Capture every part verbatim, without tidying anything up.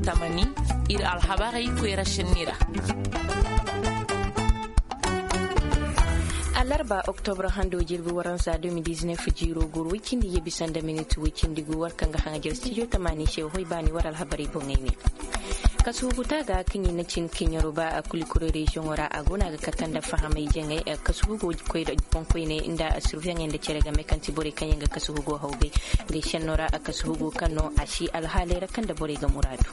Tamani, ir alhabarey koyra senni ra. Alarba oktobra hando jirbi waransa deux mille dix-neuf jiiro goro woy cindi yebi sanda minit woy cindi gu war kaŋ ga haŋajer studio tamani se hoy baani war alhabarey boŋey ne. Kasuhugu taaga kaŋ i na cin keɲaro ba a kulikoro reziyoŋo ra a go no a ga kate nda fahamay jaŋay. Kasuhugo koyra boŋkoyney nda surveyaŋey nda cere game kaŋ ti borey kaŋ yaŋ ga kasuhugo hawgay. Ngey senno ra a kasuhugo kaŋ no a si alhaaley ra kaŋ nda borey ga muraadu.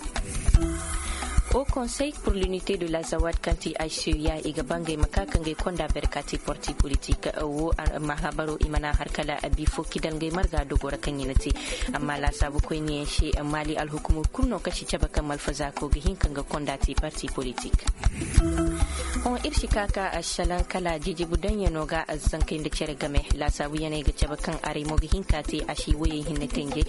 Au conseil pour l'unité de la zawad kaŋ ti h c u ya i ga ba ngey ma ka ka ngey konda berkati parti politik wo. Mahabaro i mana har kala bifo kidal ngey marga dogo ra kaŋ i na te. Amma laasaabu koyniyaŋ se maali alhukumo kulu no kaŋ si cabe kaŋ malfazaako ga hin ka nga konda te parti politik. Hõ ir si ka ka salaŋ kala jijibu daŋyaŋo ga zankey nda cere game. Laasaabuyaŋey ga cabe kaŋ aray mo ga hin ka te a si woyey hinne tenje.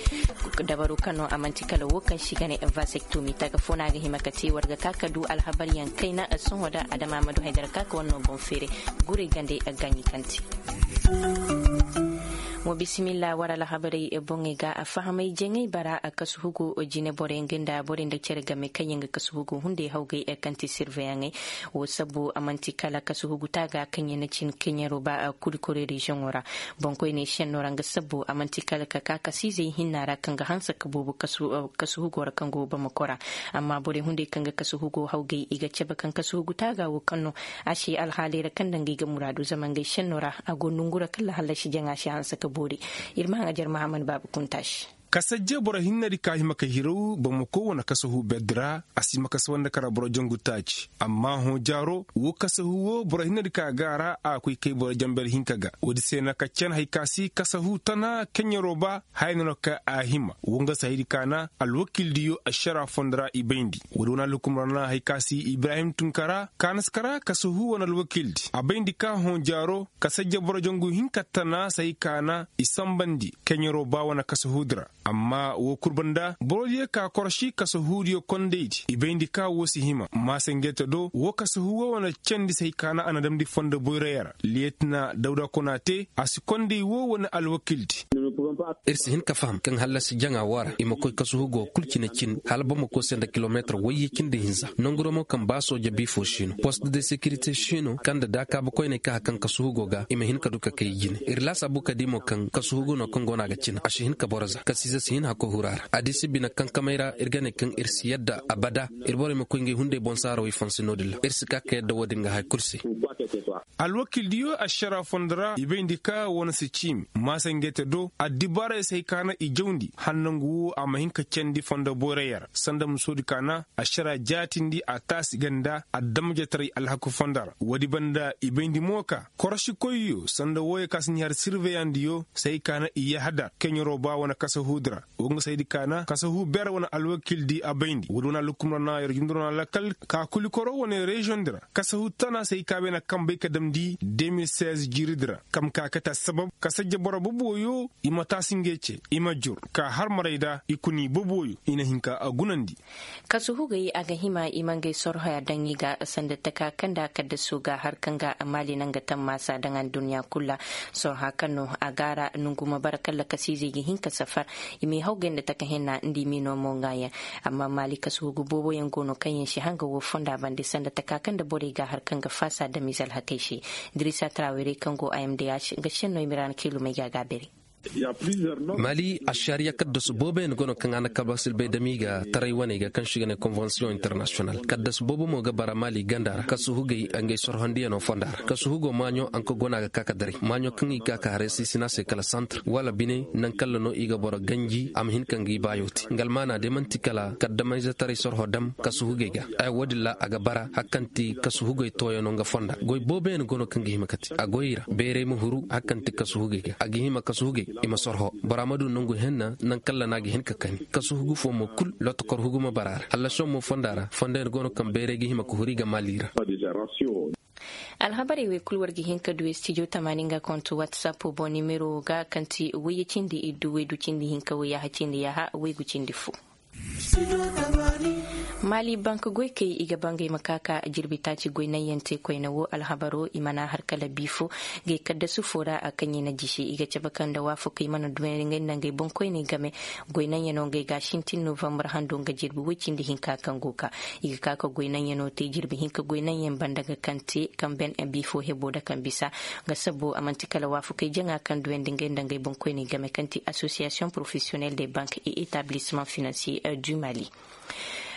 Dabaru kaŋ no a man'ti kala wo kaŋ si ga ne vasektomi taga fo no a ga hima ka te war ga ka ka du alhabaryaŋ kayna. Sohõ da adama ma du haydara ka ka war no boŋ feere. Guray gande gaaɲi kaŋ te. Mo bisimilla war alhabarey boŋey ga a fahamay jaŋay bara a kasuhugo jine borey nga nda borey nda cere game kaŋ yaŋ ga kasuhugo hunday hawgay kaŋ ti sirveyaŋey. Wo sabbu a man'ti kala kasuhugu taaga kaŋ yaŋ na cin keɲaro ba a kulikore reziyoŋo ra. Boŋkoyney senno ra nga sabbu a man'ti kala ka ka kasiizey hinna ra kaŋ ga hanse ka boobo kasuhugo ra kaŋ go bamako ra. Amma borey hunday kaŋ ga kasuhugo hawgay i ga cabe kaŋ kasuhugu taaga wo kaŋ no a si alhaaley ra kaŋ nda ngey ga muraadu zama ngey senno ra a go nongu ra kala hallasi jaŋa si hanse ka boori. Ir ma haŋ ajar mahammad baaba kunta se. Kasajje boro hinnedi ka hima ka hiraw bamako wane kasahu berdi ra a si hima ka sawandi kara boro jangu taaci. Amma hõ jaaro wo kasahu wo boro hinnedi ka ga a ra a koy kay boro jamber hinka ga woodi se na ka can hay ka si kasahu tana keɲaro ba. Haya no no ka a hima wo nga se haydi ka na alwakildiyo ašara fondo ra i bayndi. Woodi wane alhukum ra na hay ka si ibrahim tunkara ka na si kara kasahu wane alwakildi a bayndi ka hõ jaaro. Ka sajja boro jangu hinka tana se hay ka na i sambandi keɲaro ba wane kasahuudi ra. Amma woo kul banda borodiyo ka koroši kasahuudiyo kondaydi i bayndi ka woo si hima maasangete do woo kasahu woo wane candi se hay ka na a na damndi fondo boyrayo ra liyetina dawda kona te a si konday woo wane alwakildi. Ir si hin ka faham kaŋ hallasi jaŋa woo ra i ma koy kasuhugo kul cine cin hala bamako se nda kilomeetir wayye cindi hinza nongu ra mo kaŋ ba sooja biifo siino post de sekirite siino kaŋ nda daakaabu koyney ka har kaŋ kasuhugo ga i ma hin ka du ka kay i jine ir laasaabu ka di mo kaŋ kasuhugo no kaŋ go no a ga cina a si hin ka boro za kasiize si hin hakkoy huru a ra a di si bine kankamey ra ir ga ne kaŋ ir si yadda abada ir borey ma koy ngey hunday boŋ saarawey fansi no-din ra ir si ka ka yadda woo-din ga haya kul se. Alwakildiyo ašara fondo ra i bayndi ka wane si ciimi maasangete do addibaarey se hay ka na i jawndi hala nangu woo a ma hin ka candi fondo boyrayo ra sanda musoodi ka na ašara jaatindi a taasi ganda adamajetaray alhaku fondo ra woodi banda i bayndi mo ka korošikoyyo sanda wooyo ka si ni har sirveyandiyo se hay ka na i yahadar keɲaro ba wane kasahuudi ra woo nga se hay di ka na kasahu ber wane alwakildi a bayndi woodi wane alhukum ra na yer junduro na lakkal ka kulikoro wane reziyoŋdi ra kasahu tana se hay ka bay na kambay ka damndi deux mille seize jiiridi ra kam ka kate assabab ka sajja boro boboyo i ma taasi ngey ce i ma jur ka har maray da i kuna i boboyo i na hin ka a gunandi. Kasuhugey a ga hima i ma ngey sorhoya daŋ i ga sanda taka kaŋ nda kaddasu ga har kaŋ ga maali naŋ ga tammaasa daŋ adduɲɲa kul ra. Sorha kaŋ no a ga a ra nongu ma bara kala kasiizey ga hin ka safar i m'i hawgay nda taka henna nda i m'i no mo ŋaayaŋ. Amma maali kasuhugu booboyaŋ go no kaŋ yaŋ si hanga woo fonda bande sanda taka kaŋ nda borey ga har kaŋ ga faasa damiize alhakey se. Dirisa trawere kaŋ go a m d h nga senno i ma ra na kiilumey ga a ga a bere. Mali ašariya kaddasu booboyaŋ go no kaŋ a na kalbasilbay dam i ga taray waney ga kaŋ se i ga ne konvensiyoŋ internasiyonal kaddasu boobo mo ga bara mali ganda ra kasuhugey ngey sorhondiyano fonda ra kasuhugo maaɲo anka go no a ga ka ka daray maaɲo kaŋ i ga ka ka haray sisina se kala santir wala bine naŋ kalla no i ga boro ganji a ma hin ka ngi baayo te nga almaana day man'ti kala kaddamayzetaray sorho dam kasuhugey ga. Ay woodin ra a ga bara har kaŋ ti kasuhugey tooyano nga fonda goy booboyaŋ go no kaŋ ga hima ka te a goyey ra beeray ma huru har kaŋ ti kasuhugey ga a ga hima kasuhugey i ma sorho bora ma du nongu henna naŋ kalla no a ga hin ka kani kasuhugu fo mo kul lotokor hugu ma bara a ra hallasiyoŋ mo fonda ra fonda yaŋ go no kaŋ beeray ga hima ka huru i ga maali ra. Alhabarey wey kul war ga hin ka du studio tamaani nga konto whatsapp boŋ nimero ga kaŋ ti wayye cindi iddu waydu cindi hinka wayyaaha cindi yaaha waygu cindi fo. Maali bank goykey i ga bangay ma ka ka jirbi taaci goy naŋ yaŋ te koyne wo alhabaro i mana har kala biifo. Gay kaddasu fo ra a kaŋ i na jisi i ga cabe kaŋ nda waafakey mana duwandi ngey nda ngey boŋkoyney game. Goy naŋ yaŋo ngey ga sintin novambar hando nga jirbi woy cindi hinka kaŋ go ka i ga ka ka goy naŋ yaŋo te jirbi hinka goy naŋ yaŋ banda ga kaŋ te kaŋ ben biifo hebo nda kaŋ bisa. Nga sabo a man'ti kala waafakey jaŋa kaŋ duwandi ngey nda ngey boŋkoyney game kaŋ ti association professionnelle des banques et établissements financiers du mali.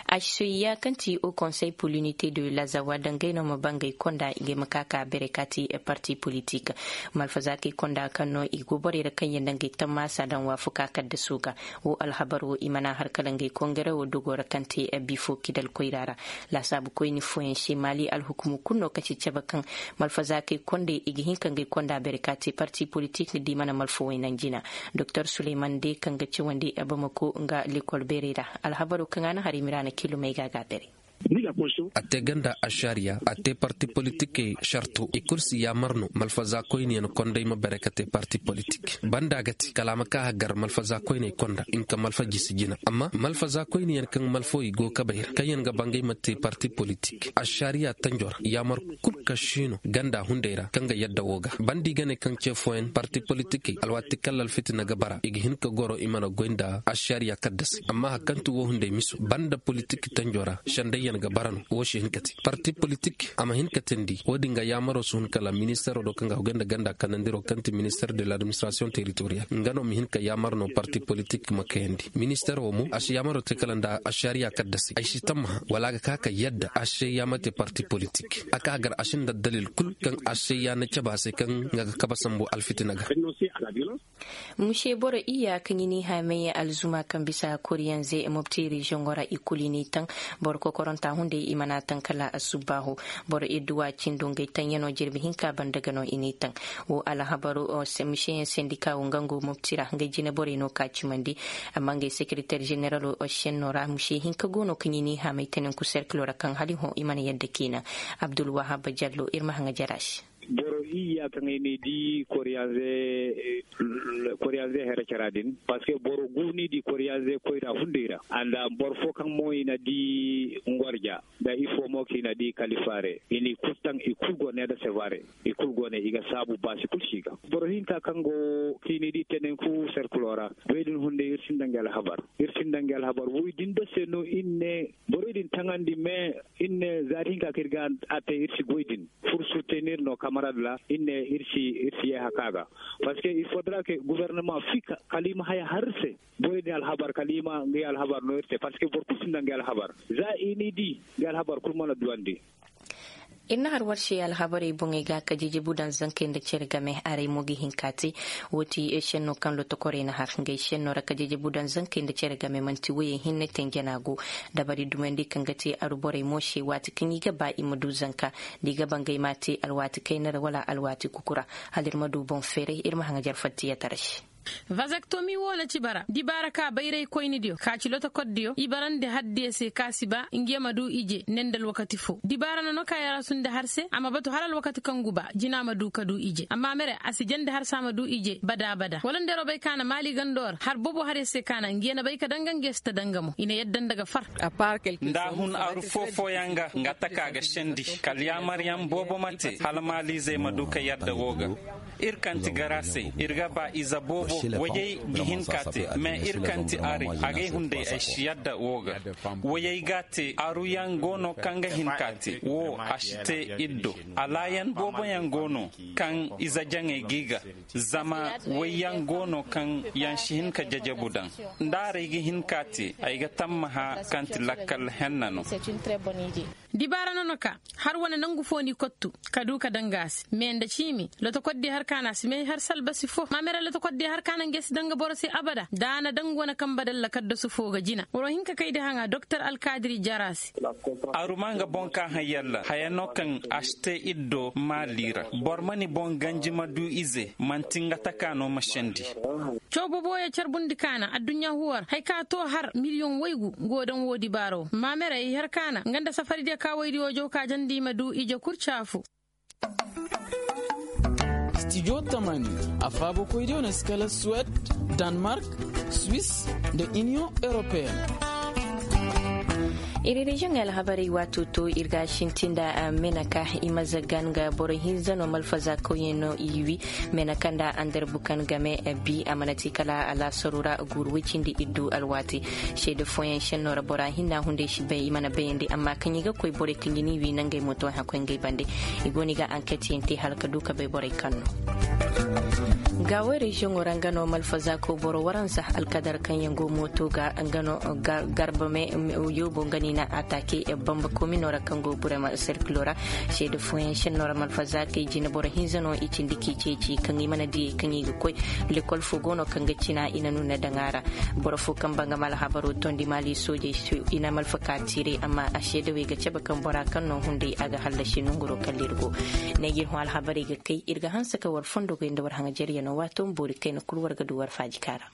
Asoya kaŋ ti o konsey pur linite de lazawa dangay no ma bangay konda i ga ay ma ka ka bere ka ti parti politik. Malfazaakey konda kaŋ no i go borey ra kaŋ yaŋ dangay tammaasa daŋ waafuka kaddaso ga. Wo alhabar wo i mana har kala ngey kongere wo dogo ra kaŋ te bifo kidal koyra ra. Laasaabu koyni fooyaŋ se maali alhukumu kulu no kaci cabe kaŋ malfazaakey kondey i ga hin ka ngey konda bere ka te parti politik ni di mana malfawey naŋ jina. Doktor suleyman de kaŋ ga cawandi bamako nga lekol beerey ra. Alhabaro kaŋ a na har i ma ra na kilomey ga a ga a bere. A te ganda ašariya a te parti politikey sarto i kulu si yaamar no malfazaakoyniyaŋ konday ma bere ka te parti politik banda ga ti kala a ma ka hagar malfazaakoyney konda nka malfa jisi jina amma malfazaakoyniyaŋ kaŋ malfawey go kabey ra kaŋyaŋ ga bangay ma te parti politik ašariya tanjo ra yaamar kulu ka siino ganda hunday ra kaŋ ga yadda wo ga banda i ga ne kaŋ ce fooyaŋ parti politikey alwaati kala alfitina ga bara i ga hin ka goro i mana goy nda ašariya kaddasey amma hari kaŋ ti wo hunday miso banda politik tanjo ra sendayyaŋ ga bara no wo si hin ka te parti politik a ma hin ka teendi wo-din ga yaamaro si hun kala ministeero do kaŋ ga a goy nda ganda kanandiro kaŋ ti ministeer de l'administirasiyoŋ teritoriyal nga no ma hin ka yaamar no parti politik ma kayandi ministeer wo mo a si yaamaro te kala nda ašariya kaddasey ay si tammaha wala a ga ka ka yadda ašariya ma te parti politik a ka gar a sinda dalil kul kaŋ ašariya na cabe a se kaŋ nga ga kabe sambu alfitina ga. Muse boro iyya kaŋ i n'i haamay alzuma kaŋ bisa koriyanze mobti reziyoŋo ra i kulu i n'i taŋ. Boro kokoranta hunday i mana taŋ kala asubbaahu. Boro idduwa cindo ngey taŋyanoo jirbi hinka banda ga no i n'i taŋ. Wo alhabaru museyaŋ sendika wo nga ngo mobti ra ngey jine borey no ka cimandi. Amma ngey sekereter ženeralo senno ra muse hinka go no kaŋ i n'i haamay tenenku serkilo ra kaŋ hala i hõ i mana yadda kiina. Abdulwahab jallo ir ma haŋa jara se. Boro iyya kaŋ ay n'i di koriyanze koriyanze hera cara din parceque boro gu n'i di koriyanze koyra hunday ra a nda boro fo kaŋ mo i na di ngorja nda ifo mo kaŋ i na di kalifaare i n'i kul taŋ i kul go ne nda sevare i kul go ne i ga saabu baasi kul si ga. Boro hinka kaŋ go kaŋ i n'i di tenenku serkulo ra goy din hunday ir sinda nga alhabar ir sinda nga alhabar woy din nda se no ir ne borey din taŋandi me ir ne zaari hinka kaŋ ir ga a te ir si goy din. Fur sutenir no kamarad ra ir ne ir si ir si yee haka ga. Parceque il fodra ke guvernama fika kala i ma haya har ir se. Borey din alhabar kala i ma ngay alhabar no ir se parceque boro kul sinda ngay alhabar. Za i n'i di ngay alhabar kul mana duwandi. Ir na har war se alhabarey boŋey ga ka jejebu daŋ zankey nda cere game aray mo ga hin ka te. Wo ti senno kaŋ lotokorey na har ngey senno ra ka jejebu daŋ zankey nda cere game man'ti woyey hinne te njana go. Dabari dumandi kaŋ ga te aru borey mo se waati kaŋ i ga ba i ma du zanka. Da i ga ba ngey m'a te alwaati kayna ra wala alwaati kuku ra. Hala ir ma du boŋ feeray ir ma haŋajar fattiyatara se. Vazaktomi wo na ci bara dibaara ka bayraykoynidiyo ka ci lotokordiyo i barandi hardiyo se ka si ba nge ma du ije ne nda alwakati fo dibaara nono ka yarasunde har se a ma batu hala alwakati kaŋ gu ba jina ma du ka du ije amma mere a si jandi har se a ma du ije bada bada wala nda yer wo bay ka na maali gando ra har boobo har yer se ka na nge na bay ka danga nge si ta danga mo i na yadda nda ga far. Nda a hun aru foo-fooyaŋ ga nga taka ga sendi kala yaamaryaŋ boobo ma te hala maaliizey ma du ka yadda woo ga. Ir kaŋ ti garaasey ir ga ba ize boobo woyey ga hin ka te mais ir kaŋ ti arey agay hunday ay si yadda woo ga. Woyey ga a te aruyaŋ go no kaŋ ga hin ka te woo a si te ir do. Alaayan booboyaŋ go no kaŋ ize jaŋey g'i ga zama woyyaŋ go no kaŋ yaŋ si hin ka jajabu daŋ. Nda arey ga hin ka te ay ga tammaha kaŋ ti lakkal henna no. Dibaara no na ka har wane nangu fo n'i kottu ka du ka danga a se mais nda ciimi lotokoddiyo har ka na a si may har salbasi fo ma mere lotokoddiyo har ka na nge si danga boro se abada da a na danga wane kamba dalla kaddasu fo ga jina boro hinka kay di haŋa doktor alkaadiri jara se. Aru ma nga boŋ ka haŋ yalla haya no kaŋ a si te ir do maali ra boro ma ni boŋ ganji ma du ize man'ti nga taka no ma sendi. Caw boboyo carbundi kaana adduɲɲa huwar haya ka to har miliyoŋ waygu go daŋ wo dibaaro ma mere i har kaana nga nda safaridiyo ka waydiyo jaw ka jandi i ma du ije kul caafu. Stijo tamani afaabokoydiyo na si kala suwed, danmark, swis, nda iniyoŋ europeen. Ir reziyoŋey alhabarey waato to ir ga a sinti nda meneka i ma zagan ga boro hinza no malfaza kawyaŋ no i wi. Meneka nda andarbukan game bi a mana te kala alaasaru ra guuru woy cindi iddu alwaati. Seede fooyaŋ senno ra bora hinna hunday si bay i mana bayandi amma kaŋ i ga koy borey kaŋ i n'i wi nangey moto hay koy ngey bande. I go no i ga anketyaŋ te hala ka du ka bay borey kaŋ no. Gaawey reziyoŋo ra nga no malfazaako boro waransa alkadar kaŋ yaŋ go mooto ga nga no garba me yoobo nga no i na ataake bamba komino ra kaŋ go burema serkilo ra. Seede fooyaŋ senno ra malfazaakey jine boro hinza no i cindi k'i ceeci kaŋ i mana diyey kaŋ i ga koy. Lekol fo go no kaŋ ga cina i na nuna daŋ a ra. Boro fo kaŋ ba nga ma alhabaro tondi maali soojey i na malfa ka tiiray amma a seedawey ga cabe kaŋ bora kaŋ no hunday a ga hallasi nongoro kala ir go. Ne ga ir hõ alhabarey ga kay ir ga hanse ka war fondogey nda war haŋajeryanoo waato ma boori kayna kul war ga du war faaji ka ra.